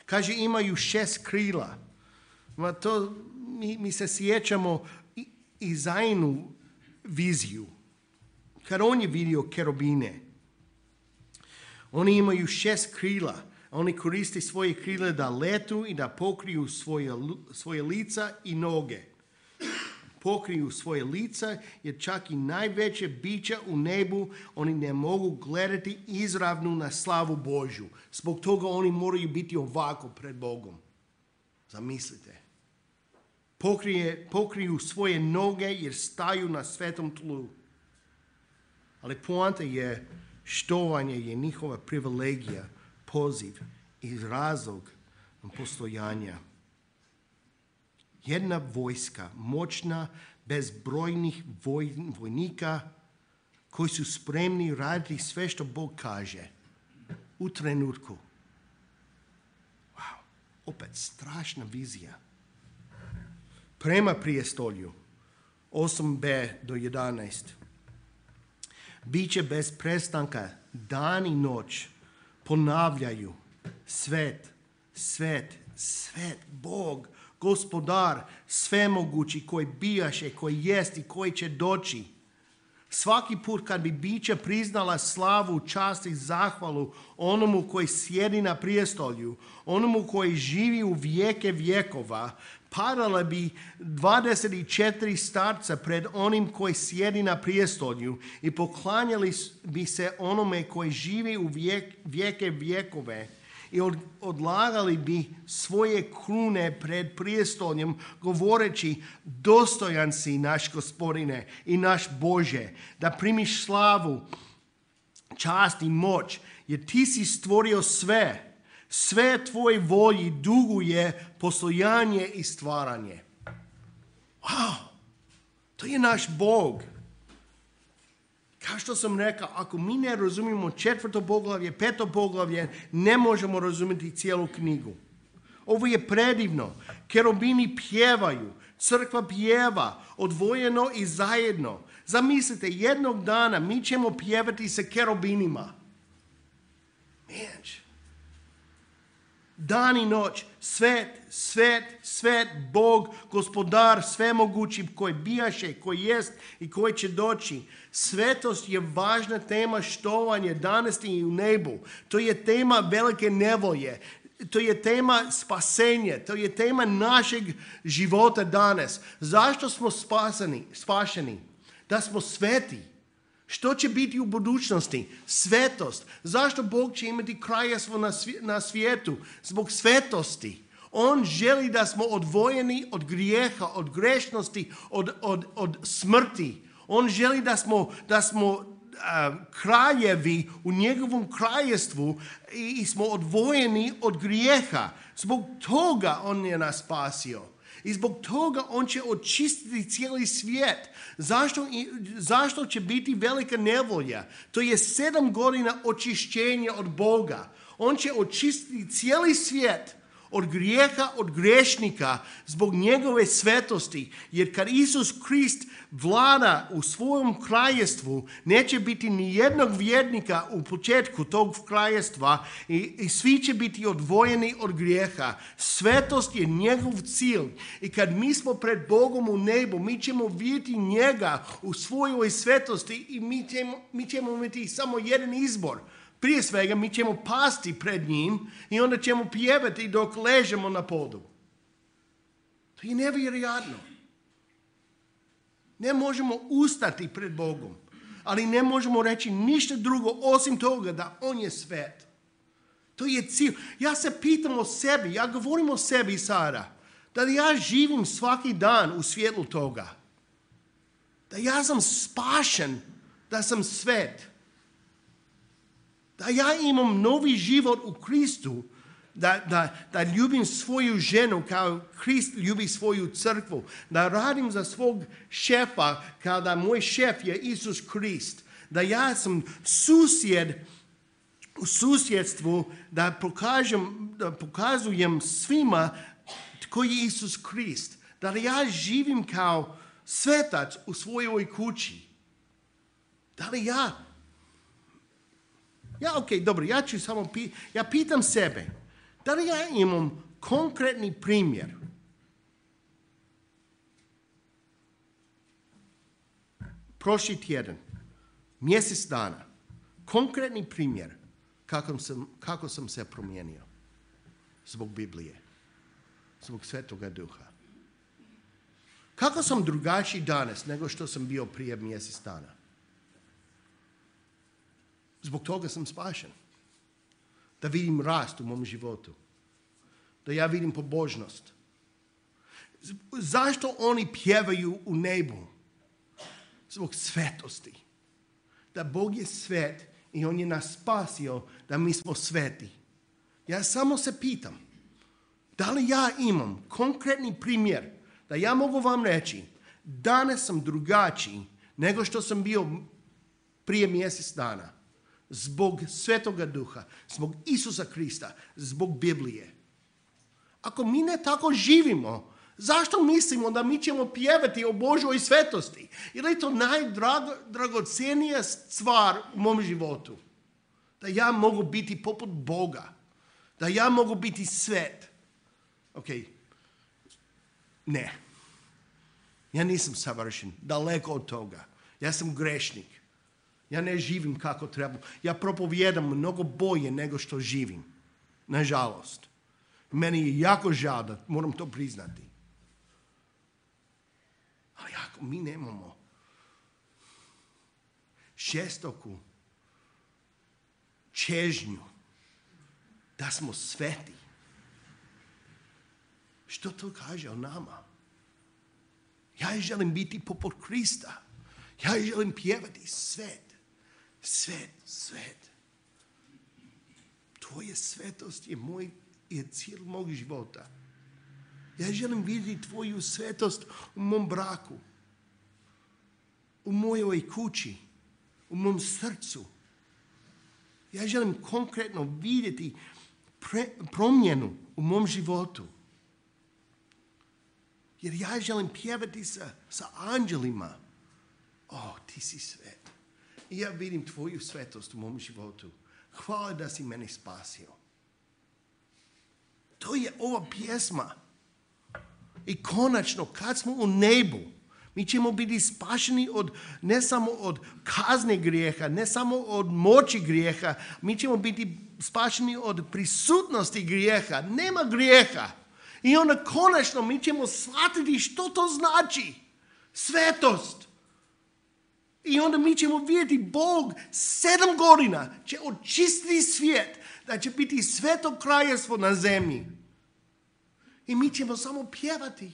Kaže, imaju šest krila. Ma to, mi, mi se sjećamo i, i Zainu viziju. Kad on je vidio kerubine, oni imaju šest krila. Oni koriste svoje krile da letu i da pokriju svoje, svoje lica i noge. Pokriju svoje lica, jer čak i najveće bića u nebu, oni ne mogu gledati izravno na slavu Božju. Zbog toga oni moraju biti ovako pred Bogom. Zamislite. Pokrije, pokriju svoje noge jer staju na svetom tlu. Ali poanta je, štovanje je njihova privilegija, poziv i razlog postojanja. Jedna vojska, moćna, bez brojnih voj, vojnika koji su spremni raditi sve što Bog kaže u trenutku. Wow, opet strašna vizija. Prema prijestolju, osam b do jedanaest. Biće bez prestanka, dan i noć, ponavljaju, svet, svet, svet, Bog, Gospodar, svemogući, koji bijaše, koji jest i koji će doći. Svaki put kad bi bića priznala slavu, čast i zahvalu onomu koji sjedi na prijestolju, onomu koji živi u vijeke vjekova, padala bi dvadeset četiri starca pred onim koji sjedi na prijestolju i poklanjali bi se onome koji živi u vijek, vijeke vjekove i od, odlagali bi svoje krune pred prijestoljem govoreći: dostojan si, naš Gospodine i naš Bože, da primiš slavu, čast i moć, jer ti si stvorio sve. Sve tvoje volji duguje postojanje i stvaranje. Wow, to je naš Bog. Kao što sam rekao, ako mi ne razumijemo četvrto poglavlje, peto poglavlje, ne možemo razumjeti cijelu knjigu. Ovo je predivno. Kerubini pjevaju, crkva pjeva, odvojeno i zajedno. Zamislite, jednog dana mi ćemo pjevati sa kerubinima. Menč. Dan i noć, svet, svet, svet, Bog, gospodar, svemogući, koji bijaše, koji jest i koji će doći. Svetost je važna tema štovanja danas i u nebu. To je tema velike nevolje. To je tema spasenja. To je tema našeg života danas. Zašto smo spaseni, spašeni? Da smo sveti. Što će biti u budućnosti? Svetost. Zašto Bog će imati kraljevstvo na, na svijetu? Zbog svetosti. On želi da smo odvojeni od grijeha, od grešnosti, od, od, od smrti. On želi da smo, da smo uh, kraljevi u njegovom kraljevstvu i, i smo odvojeni od grijeha. Zbog toga on je nas spasio. I zbog toga on će očistiti cijeli svijet. Zašto, zašto će biti velika nevolja? To je sedam godina očišćenja od Boga. On će očistiti cijeli svijet od grijeha, od grešnika zbog njegove svetosti. Jer kad Isus Krist vlada u svojom kraljevstvu, neće biti ni jednog vjernika u početku tog kraljevstva i, i svi će biti odvojeni od grijeha. Svetost je njegov cilj. I kad mi smo pred Bogom u nebu, mi ćemo vidjeti njega u svojoj svetosti i mi ćemo, mi ćemo imati samo jedan izbor. Prije svega mi ćemo pasti pred njim i onda ćemo pjevati dok ležemo na podu. To je nevjerojatno. Ne možemo ustati pred Bogom, ali ne možemo reći ništa drugo osim toga da on je svet. To je cilj. Ja se pitam o sebi, ja govorim o sebi sada, da ja živim svaki dan u svjetlu toga. Da ja sam spašen, da sam svet. Da ja imam novi život u Kristu, da, da, da ljubim svoju ženu kao Krist ljubi svoju crkvu, da radim za svog šefa kao da moj šef je Isus Krist, da ja sam susjed u susjedstvu, da, pokažem, da pokazujem svima tko je Isus Krist, da ja živim kao svetac u svojoj kući. Da li ja Ja, ok, dobro, ja ću samo, pi, ja pitam sebe, da li ja imam konkretni primjer prošli tjedan, mjesec dana, konkretni primjer kako sam, kako sam se promijenio zbog Biblije, zbog Svetoga Duha. Kako sam drugačiji danas nego što sam bio prije mjesec dana? Zbog toga sam spašen. Da vidim rast u mom životu. Da ja vidim pobožnost. Zašto oni pjevaju u nebu? Zbog svetosti. Da Bog je svet i on je nas spasio da mi smo sveti. Ja samo se pitam, da li ja imam konkretni primjer da ja mogu vam reći, danas sam drugačiji nego što sam bio prije mjesec dana. Zbog Svetoga Duha, zbog Isusa Krista, zbog Biblije. Ako mi ne tako živimo, zašto mislimo da mi ćemo pjevati o Božoj svetosti? Ili je to najdragocenija stvar u mom životu? Da ja mogu biti poput Boga. Da ja mogu biti svet. Ok, ne. Ja nisam savršen, daleko od toga. Ja sam grešnik. Ja ne živim kako treba. Ja propovijedam mnogo bolje nego što živim. Nažalost. Meni je jako žao da moram to priznati. Ali ako mi nemamo žestoku čežnju da smo sveti, što to kaže o nama? Ja želim biti poput Krista. Ja želim pjevati svet, svet, svet. Tvoja svetost je, moj, je cijel mog života. Ja želim vidjeti tvoju svetost u mom braku, u mojoj kući, u mom srcu. Ja želim konkretno vidjeti pre, promjenu u mom životu. Jer ja želim pjevati sa, sa anđelima. O, ti si svet. I ja vidim tvoju svetost u mom životu. Hvala da si mene spasio. To je ova pjesma. I konačno, kad smo u nebu, mi ćemo biti spašeni od, ne samo od kazne grijeha, ne samo od moći grijeha, mi ćemo biti spašeni od prisutnosti grijeha. Nema grijeha. I onda konačno mi ćemo shvatiti što to znači. Svetost. I onda mi ćemo vidjeti Bog sedam godina će očistiti svijet, da će biti sveto kraljevstvo na zemlji. I mi ćemo samo pjevati.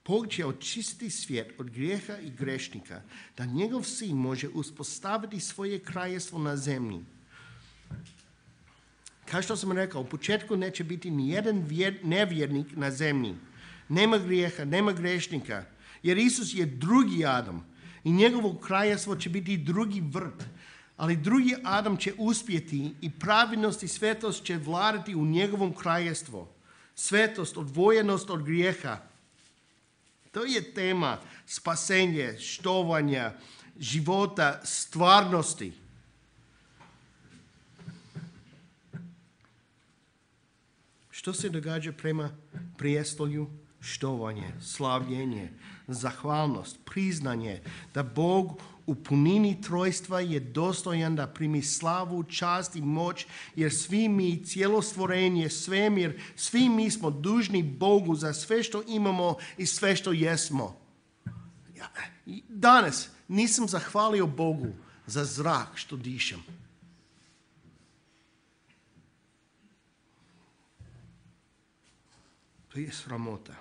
Bog će očistiti svijet od grijeha i grešnika, da njegov sin može uspostaviti svoje kraljevstvo na zemlji. Kao što sam rekao, u početku neće biti ni jedan nevjernik na zemlji. Nema grijeha, nema grešnika, jer Isus je drugi Adam i njegovo kraljevstvo će biti drugi vrt. Ali drugi Adam će uspjeti i pravednost i svetost će vladati u njegovom kraljevstvu. Svetost, odvojenost od grijeha. To je tema spasenje, štovanja, života, stvarnosti. Što se događa prema prijestolju? Štovanje, slavljenje, zahvalnost, priznanje da Bog u punini trojstva je dostojan da primi slavu, čast i moć, jer svi mi, cijelo stvorenje, svemir, svi mi smo dužni Bogu za sve što imamo i sve što jesmo. Ja, danas nisam zahvalio Bogu za zrak što dišem. To je sramota.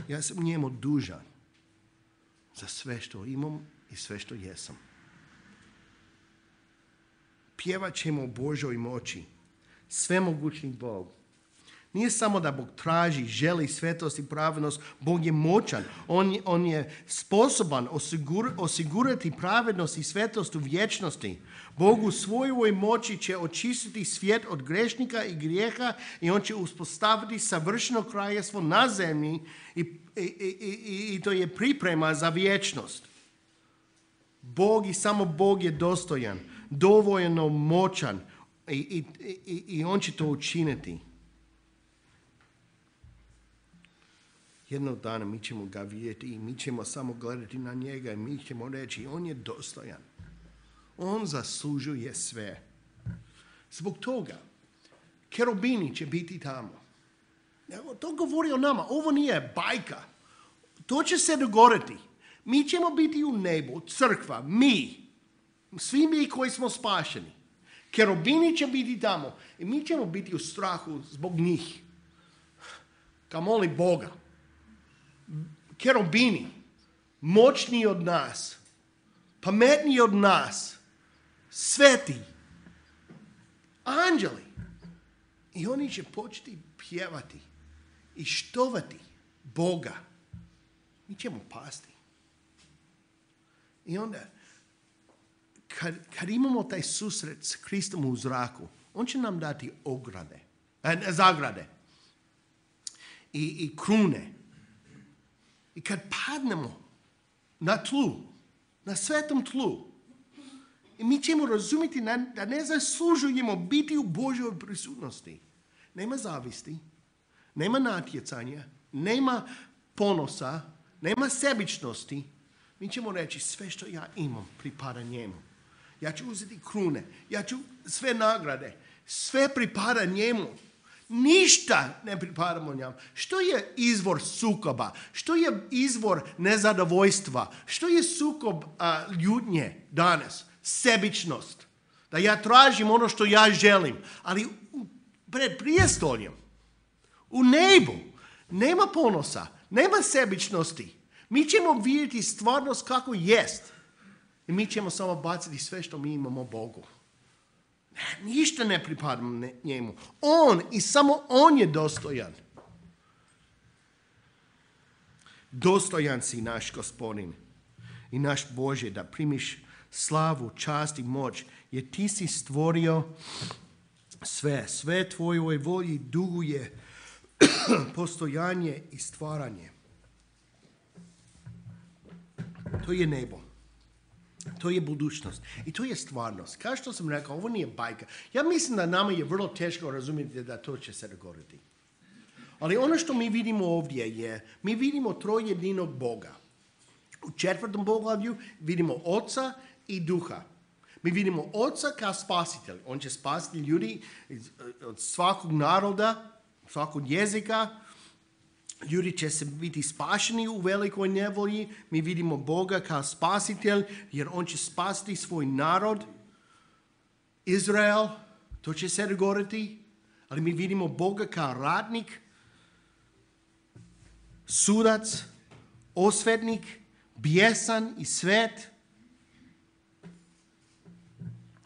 Ja sam njemu dužan za sve što imam i sve što jesam. Pjevat ćemo o Božoj moći. Svemogućni Bog. Nije samo da Bog traži, želi svetost i pravednost. Bog je moćan. On je, on je sposoban osigur, osigurati pravednost i svetost u vječnosti. Bog u svojoj moći će očistiti svijet od grešnika i grijeha i on će uspostaviti savršeno kraljevstvo na zemlji i, i, i, i, i to je priprema za vječnost. Bog i samo Bog je dostojan, dovoljno moćan i, i, i, i on će to učiniti. Jednog dana mi ćemo ga vidjeti i mi ćemo samo gledati na njega i mi ćemo reći on je dostojan. On zaslužuje sve. Zbog toga kerubini će biti tamo. To govori o nama. Ovo nije bajka. To će se dogoditi. Mi ćemo biti u nebu, crkva, mi. Svi mi koji smo spašeni. Kerubini će biti tamo. I mi ćemo biti u strahu zbog njih. Kao moli Boga. Kerubini, moćniji od nas, pametniji od nas, sveti, anđeli. I oni će početi pjevati i štovati Boga. Mi ćemo pasti. I onda, kad, kad imamo taj susret s Kristom u zraku, on će nam dati ograde, eh, zagrade i, i krune. I kad padnemo na tlu, na svetom tlu, i mi ćemo razumjeti da ne zaslužujemo biti u Božoj prisutnosti. Nema zavisti, nema natjecanja, nema ponosa, nema sebičnosti. Mi ćemo reći sve što ja imam pripada njemu. Ja ću uzeti krune, ja ću sve nagrade. Sve pripada njemu. Ništa ne pripadamo njemu. Što je izvor sukoba? Što je izvor nezadovoljstva? Što je sukob a, ljutnje danas? Sebičnost. Da ja tražim ono što ja želim. Ali pred prijestoljem, u nebu, nema ponosa, nema sebičnosti. Mi ćemo vidjeti stvarnost kako jest. I mi ćemo samo baciti sve što mi imamo Bogu. Ništa ne pripada njemu. On i samo on je dostojan. Dostojan si naš Gospodin i naš Bože da primiš slavu, čast i moć, jer ti si stvorio sve. Sve tvojoj volji duguje postojanje i stvaranje. To je nebo. To je budućnost. I to je stvarnost. Kao što sam rekao, ovo nije bajka. Ja mislim da nama je vrlo teško razumjeti da to će se dogoditi. Ali ono što mi vidimo ovdje je, mi vidimo trojedinog Boga. U četvrtom poglavlju vidimo Oca i Duha. Mi vidimo Oca kao spasitelj. On će spasiti ljudi od svakog naroda, svakog jezika. Ljudi će se biti spašeni u velikoj nevolji. Mi vidimo Boga kao spasitelj, jer on će spasiti svoj narod, Izrael. To će se dogoditi. Ali mi vidimo Boga kao ratnik, sudac, osvetnik, bijesan i svet.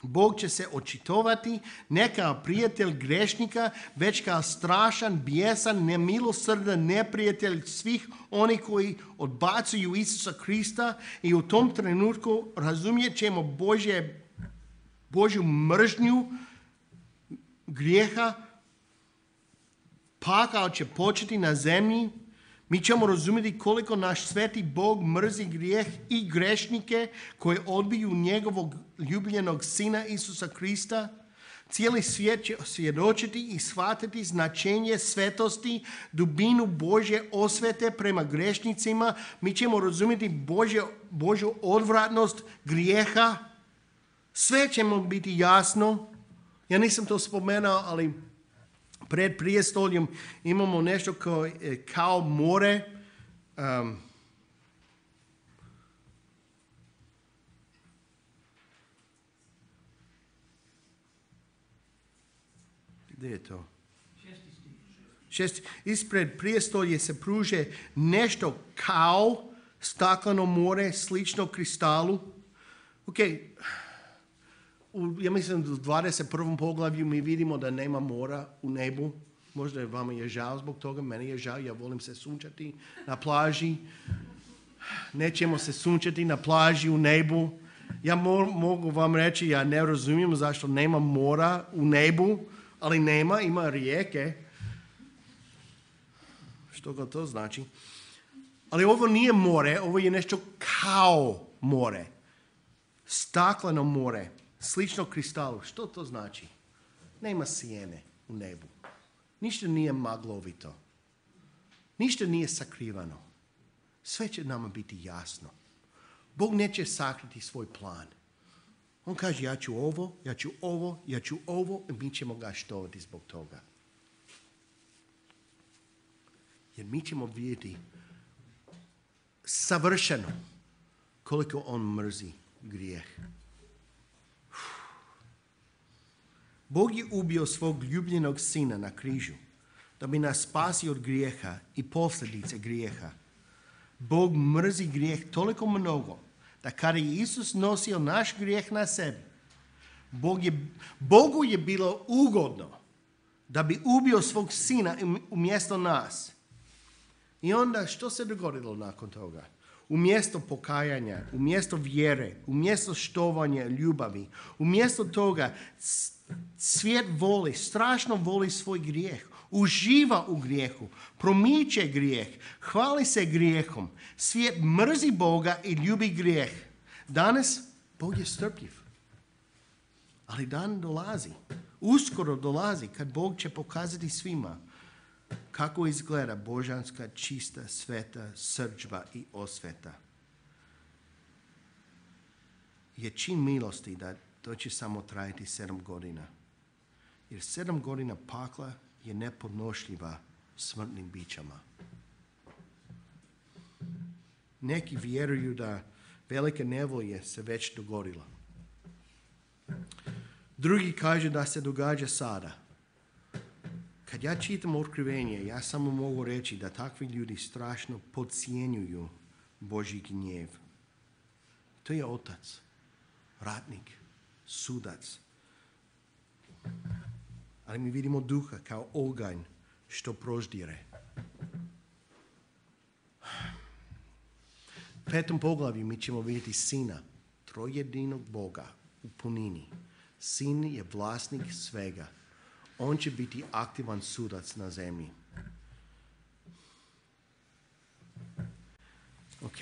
Bog će se očitovati ne kao prijatelj grešnika, već kao strašan, bijesan, nemilosrdan neprijatelj svih onih koji odbacuju Isusa Krista i u tom trenutku razumjet ćemo Božje, Božju mržnju grijeha. Pakao će početi na zemlji. Mi ćemo razumjeti koliko naš sveti Bog mrzi grijeh i grešnike koji odbiju njegovog ljubljenog sina Isusa Krista. Cijeli svijet će svjedočiti i shvatiti značenje svetosti, dubinu Božje osvete prema grešnicima. Mi ćemo razumjeti Božje, Božju odvratnost grijeha. Sve će mu biti jasno. Ja nisam to spomenuo, ali pred prijestoljem imamo nešto kao, kao more. Um, gdje je to? Šest. Ispred prijestolje se pruže nešto kao stakleno more, slično kristalu. Ok, u, ja mislim da u dvadeset prvom poglavlju mi vidimo da nema mora u nebu. Možda je vama je žao zbog toga, meni je žao, ja volim se sunčati na plaži. Nećemo se sunčati na plaži u nebu. Ja mo, mogu vam reći, ja ne razumijem zašto nema mora u nebu, ali nema, ima rijeke. Što ga to znači? Ali ovo nije more, ovo je nešto kao more. Stakleno more. Slično kristalu. Što to znači? Nema sjene u nebu. Ništa nije maglovito. Ništa nije sakrivano. Sve će nama biti jasno. Bog neće sakriti svoj plan. On kaže ja ću ovo, ja ću ovo, ja ću ovo i mi ćemo ga štovati zbog toga. Jer mi ćemo vidjeti savršeno koliko on mrzi grijeh. Bog je ubio svog ljubljenog sina na križu da bi nas spasio od grijeha i posljedice grijeha. Bog mrzi grijeh toliko mnogo da kada je Isus nosio naš grijeh na sebi, Bog je, Bogu je bilo ugodno da bi ubio svog sina umjesto nas. I onda što se dogodilo nakon toga? Umjesto pokajanja, umjesto vjere, umjesto štovanja ljubavi, umjesto toga svijet voli, strašno voli svoj grijeh, uživa u grijehu, promiče grijeh, hvali se grijehom. Svijet mrzi Boga i ljubi grijeh. Danas Bog je strpljiv. Ali dan dolazi, uskoro dolazi kad Bog će pokazati svima kako izgleda božanska, čista, sveta srdžba i osveta. Je čin milosti da to će samo trajati sedam godina. Jer sedam godina pakla je nepodnošljiva smrtnim bićama. Neki vjeruju da velika nevolja se već dogodila. Drugi kažu da se događa sada. Kad ja čitam otkrivenje, ja samo mogu reći da takvi ljudi strašno podcijenjuju Božji gnjev. To je otac, ratnik, sudac. Ali mi vidimo duha kao oganj što proždire. U petom poglavlju mi ćemo vidjeti sina, trojedinog Boga u punini. Sin je vlasnik svega. On će biti aktivan sudac na zemlji. Ok,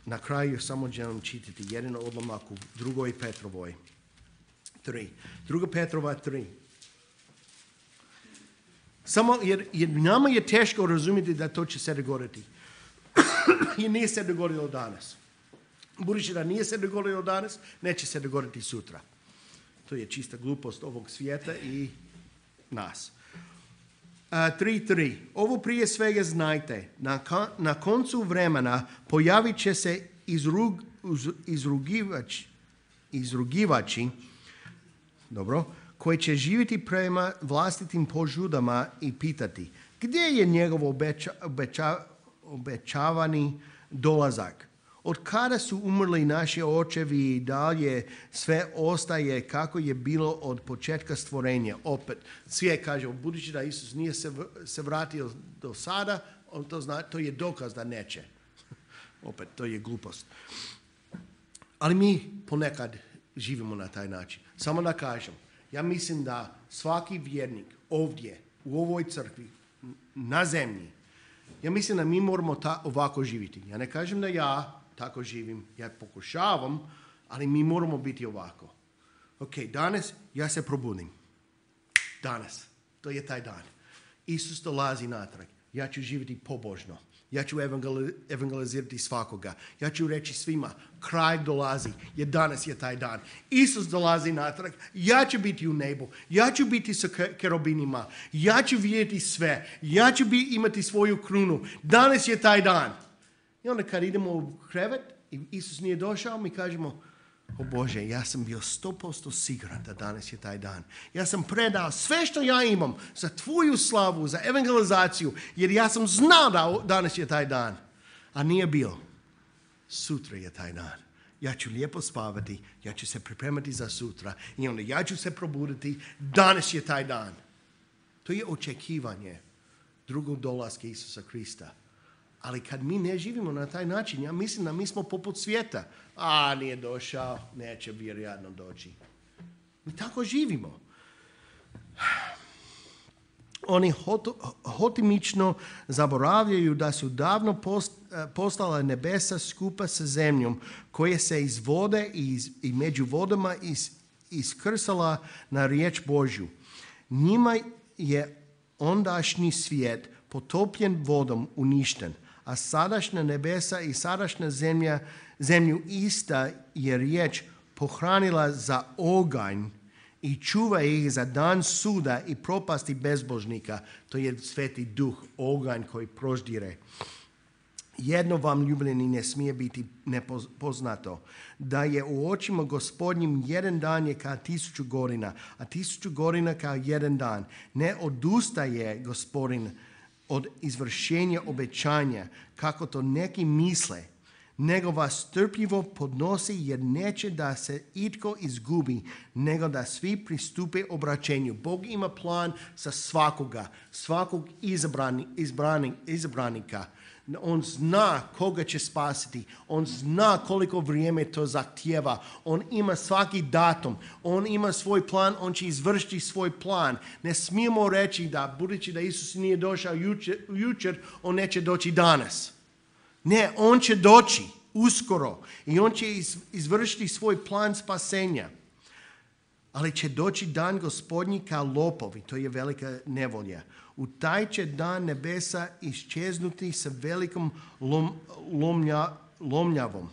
na kraju samo želim čitati jedan odlomak u drugoj Petrovoj. Tri. Druga Petrova tri. Samo jer, jer nama je teško razumjeti da to će se dogoditi. I nije se dogodilo danas. Budući da nije se dogodilo danas, neće se dogoditi sutra. To je čista glupost ovog svijeta i nas. tri tri. Ovo prije svega znajte. Na, na koncu vremena pojavit će se izrug, uz, izrugivač, izrugivači, dobro, koji će živjeti prema vlastitim požudama i pitati gdje je njegov obeća, obeća, obećavani dolazak. Od kada su umrli naši očevi i dalje sve ostaje kako je bilo od početka stvorenja. Opet, svijet kaže, budući da Isus nije se, se vratio do sada, on to zna, to je dokaz da neće. Opet, to je glupost. Ali mi ponekad živimo na taj način. Samo da kažem, ja mislim da svaki vjernik ovdje, u ovoj crkvi, na zemlji, ja mislim da mi moramo ta, ovako živjeti. Ja ne kažem da ja tako živim, ja pokušavam, ali mi moramo biti ovako. Ok, danas ja se probudim. Danas, to je taj dan. Isus dolazi natrag. Ja ću živjeti pobožno. Ja ću evangelizirati svakoga. Ja ću reći svima, kraj dolazi, jer danas je taj dan. Isus dolazi natrag, ja ću biti u nebu, ja ću biti sa kerubinima, ja ću vidjeti sve, ja ću bi, imati svoju krunu. Danas je taj dan. I onda kad idemo u krevet i Isus nije došao, mi kažemo, o Bože, ja sam bio sto posto siguran da danas je taj dan. Ja sam predao sve što ja imam za tvoju slavu, za evangelizaciju, jer ja sam znao da danas je taj dan. A nije bio. Sutra je taj dan. Ja ću lijepo spavati, ja ću se pripremati za sutra i onda ja ću se probuditi, danas je taj dan. To je očekivanje drugog dolaska Isusa Krista. Ali kad mi ne živimo na taj način, ja mislim da mi smo poput svijeta. A, nije došao, neće vjerojatno doći. Mi tako živimo. Oni hot, hotimično zaboravljaju da su davno post, postala nebesa skupa sa zemljom, koje se iz vode i, iz, i među vodama is, iskrsala na riječ Božju. Njima je ondašnji svijet potopljen vodom uništen, a sadašnja nebesa i sadašnja zemlja, zemlju ista je riječ pohranila za oganj i čuva ih za dan suda i propasti bezbožnika. To je Sveti Duh, oganj koji proždire. Jedno vam, ljubljeni, ne smije biti nepoznato, da je u očima Gospodnjim jedan dan je kao tisuću godina, a tisuću godina kao jedan dan. Ne odustaje Gospodin od izvršenja obećanja, kako to neki misle, nego vas strpljivo podnosi jer neće da se itko izgubi, nego da svi pristupe obraćenju. Bog ima plan za svakoga, svakog izabrani, izbrani, izabranika. On zna koga će spasiti. On zna koliko vrijeme to zahtijeva. On ima svaki datum. On ima svoj plan. On će izvršiti svoj plan. Ne smijemo reći da budući da Isus nije došao jučer, jučer on neće doći danas. Ne, on će doći uskoro i on će izvršiti svoj plan spasenja. Ali će doći dan Gospodnji kao lopovi. To je velika nevolja. U taj će dan nebesa iščeznuti sa velikom lom, lomlja, lomljavom.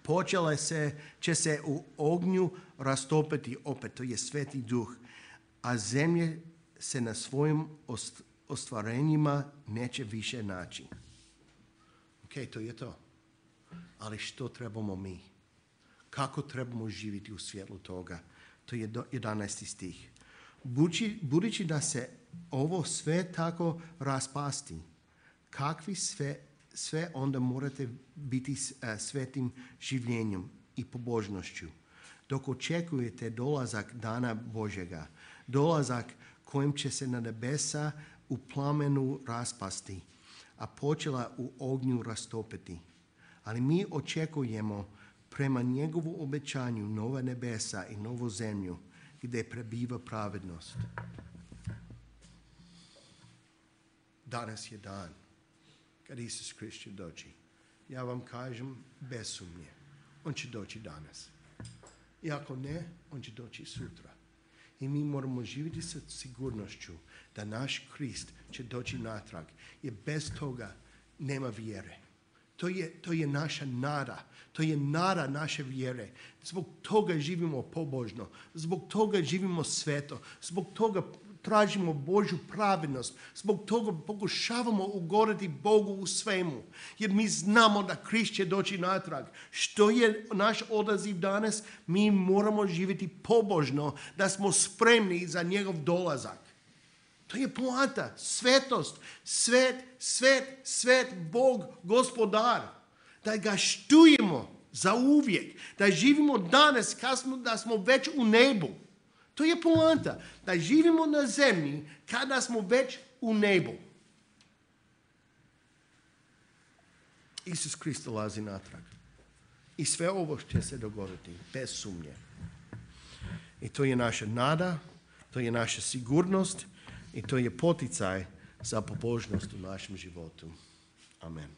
Počele se, će se u ognju rastopiti opet. To je Sveti Duh. a zemlje se na svojim ostvarenjima neće više naći. Ok, to je to. Ali što trebamo mi? Kako trebamo živjeti u svjetlu toga? To je jedanaesti stih. Budući, budući da se ovo sve tako raspasti, kakvi sve, sve onda morate biti svetim življenjem i pobožnošću, dok očekujete dolazak dana Božjega, dolazak kojim će se na nebesa u plamenu raspasti, a počela u ognju rastopiti. Ali mi očekujemo prema njegovu obećanju nova nebesa i novu zemlju gdje prebiva pravednost. Danas je dan kad Isus Krist će doći. Ja vam kažem bez sumnje. On će doći danas. I ako ne, on će doći sutra. I mi moramo živjeti sa sigurnošću da naš Krist će doći natrag. Jer bez toga nema vjere. To je, to je naša nada. To je nada naše vjere. Zbog toga živimo pobožno. Zbog toga živimo sveto. Zbog toga tražimo Božju pravednost. Zbog toga pokušavamo ugoditi Bogu u svemu. Jer mi znamo da Krist će doći natrag. Što je naš odaziv danas? Mi moramo živjeti pobožno, da smo spremni za njegov dolazak. To je poanta, svetost, svet, svet, svet, Bog, gospodar. Da ga štujemo za uvijek, da živimo danas kasno, da smo već u nebu. To je poanta, da živimo na zemlji kada smo već u nebu. Isus Krist dolazi natrag. I sve ovo će se dogoditi, bez sumnje. I to je naša nada, to je naša sigurnost, i to je poticaj za pobožnost u našem životu. Amen.